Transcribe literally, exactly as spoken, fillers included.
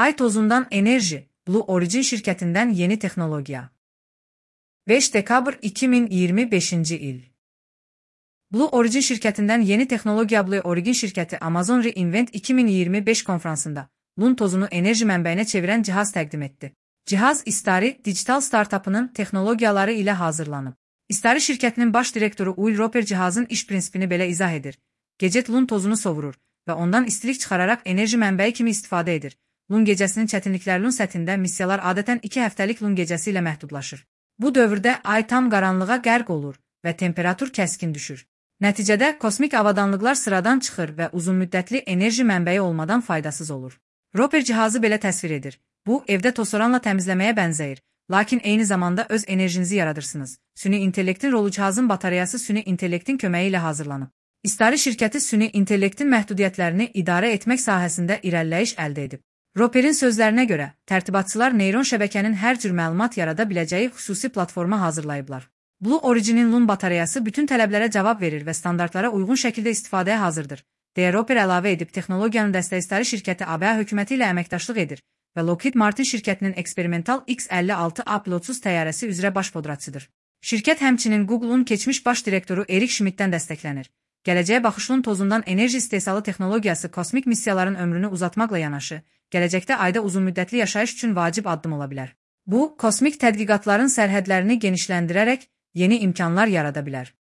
Ay tozundan enerji, Blue Origin şirketinden yeni teknolojiya. beş dekabr iki bin iyirmi beşinci il. Blue Origin şirketinden yeni teknolojiya. Blue Origin şirketi Amazon re:Invent iki bin iyirmi beş konferansında Lun tozunu enerji mənbəyinə çevirən cihaz təqdim etdi. Cihaz İstari dijital startupının texnologiyaları ilə hazırlanıb. İstari şirkətinin baş direktoru Will Roper cihazın iş prinsipini belə izah edir. Gecət Lun tozunu sovurur və ondan istilik çıxararaq enerji mənbəyi kimi istifadə edir. Lun gecəsinin çətinlikləri. Lun səthində missiyalar adətən iki həftəlik Lun gecəsi ilə məhdudlaşır. Bu dövrdə ay tam qaranlığa qərq olur və temperatur kəskin düşür. Nəticədə kosmik avadanlıqlar sıradan çıxır və uzunmüddətli enerji mənbəyi olmadan faydasız olur. Roper cihazı belə təsvir edir. Bu, evdə tosoranla təmizləməyə bənzəyir, lakin eyni zamanda öz enerjinizi yaradırsınız. Süni intellektin rolu. Cihazın batareyası süni intellektin köməyi ilə hazırlanıb. İstari şirkəti süni intellektin məhdudiyyətlərini idarə etmək sahəsində irəliləyiş əldə edib. Roper'in sözlərinə görə, tərtibatçılar neyron şəbəkənin hər cür məlumat yarada biləcəyi xüsusi platforma hazırlayıblar. Blue Origin'in Lun batareyası bütün tələblərə cavab verir və standartlara uyğun şəkildə istifadəyə hazırdır, deyə Roper əlavə edib. Texnologiyanın dəstəkçi şirkəti A B A hökuməti ilə əməkdaşlıq edir və Lockheed Martin şirkətinin eksperimental X əlli altı A pilotsuz təyyarəsi üzrə baş podratçıdır. Şirkət həmçinin Google'un keçmiş baş direktoru Erik Schmidtdən dəstəklənir. Gələcəyə baxış. Lun tozundan enerji istehsalı texnologiyası kosmik missiyaların ömrünü uzatmaqla yanaşı, gələcəkdə ayda uzunmüddətli yaşayış üçün vacib addım ola bilər. Bu, kosmik tədqiqatların sərhədlərini genişləndirərək yeni imkanlar yarada bilər.